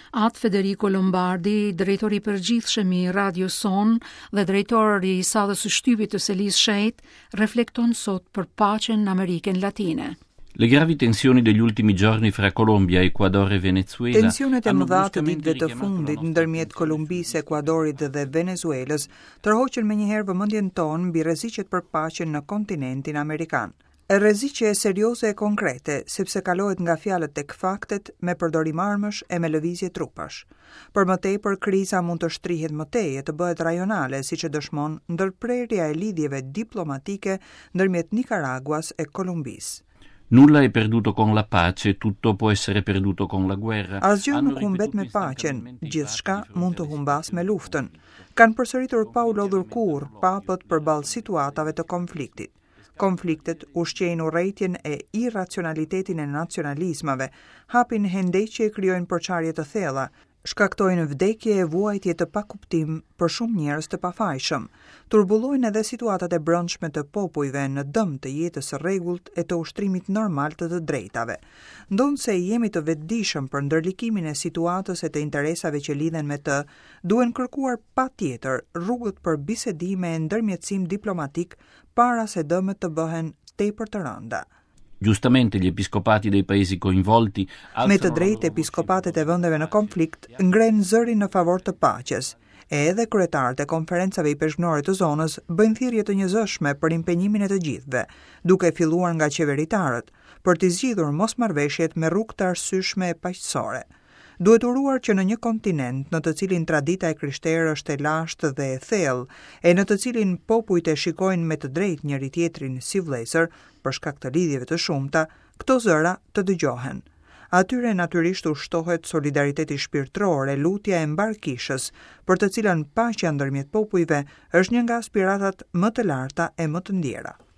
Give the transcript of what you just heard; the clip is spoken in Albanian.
Atë Federico Lombardi, drejtor i përgjithshëm i radios sonë dhe drejtor i sallës së shtypit të Selisë Shenjtë, reflekton sot për paqen në Amerikën Latine. Le gravi tensioni degli ultimi giorni fra Colombia, Ecuador e Venezuela Tensionet e mëdha të ditëve të fundit ndërmjet Kolumbisë, Ekuadorit dhe Venezuelës tërhoqën menjëherë vëmendjen tonë mbi rreziqet për paqen në kontinentin amerikan. Rreziqe serioze e konkrete, sepse kalohet nga fjalët tek faktet me përdorim armësh e me lëvizje trupash. Për më tepër, kriza mund të shtrihet më tej e të bëhet rajonale, siç e dëshmon ndërprerja e lidhjeve diplomatike ndërmjet Nikaraguas e Kolumbisë. Nulla è perduto con la pace, tutto può essere perduto con la guerra. Asgjë nuk humbet me paqen, gjithçka mund të humbasë me luftën. Kanë përsëritur pa u lodhur kurrë papët përballë situatave të konfliktit. Konfliktet ushqejnë urrejtjen e irracionalitetin e nacionalizmave, hapin hendeqe e krijojnë përçarje të thella, shkaktojnë vdekje e vuajtje të pakuptim për shumë njerëz të pafajshëm, turbullojnë edhe situatat e brendshme të popujve në dëm të jetës së rregullt e të ushtrimit normal të të drejtave. Ndonëse jemi të vetëdijshëm për ndërlikimin e situatës e të interesave që lidhen me të, duhen kërkuar patjetër rrugët për bisedime e ndërmjetësim diplomatik para se dëmet të bëhen tepër të rënda. Giustamente gli episcopati dei paesi coinvolti Me të drejtë episkopatet e vendeve në konflikt ngrenë zërin në favor të paqes, e edhe kryetarët e konferencave ipeshkvnore të zonës bëjnë thirrje të njëzëshme për impenjimin e të gjithëve, duke filluar nga qeveritarët, për t'i zgjidhur mosmarrëveshjet me rrugë të arsyeshme e paqësore. Duhet uruar që në një kontinent në të cilin tradita e krishterë është e lashtë dhe e thellë, e në të cilin popujt e shikojnë me të drejtë njëri-tjetrin si vëllezër, për shkak të lidhjeve të shumta, këto zëra të dëgjohen. Atyre natyrisht u shtohet solidariteti shpirtëror e lutja e mbarë Kishës, për të cilën paqja ndërmjet popujve është një nga aspiratat më të larta e më të ndjera.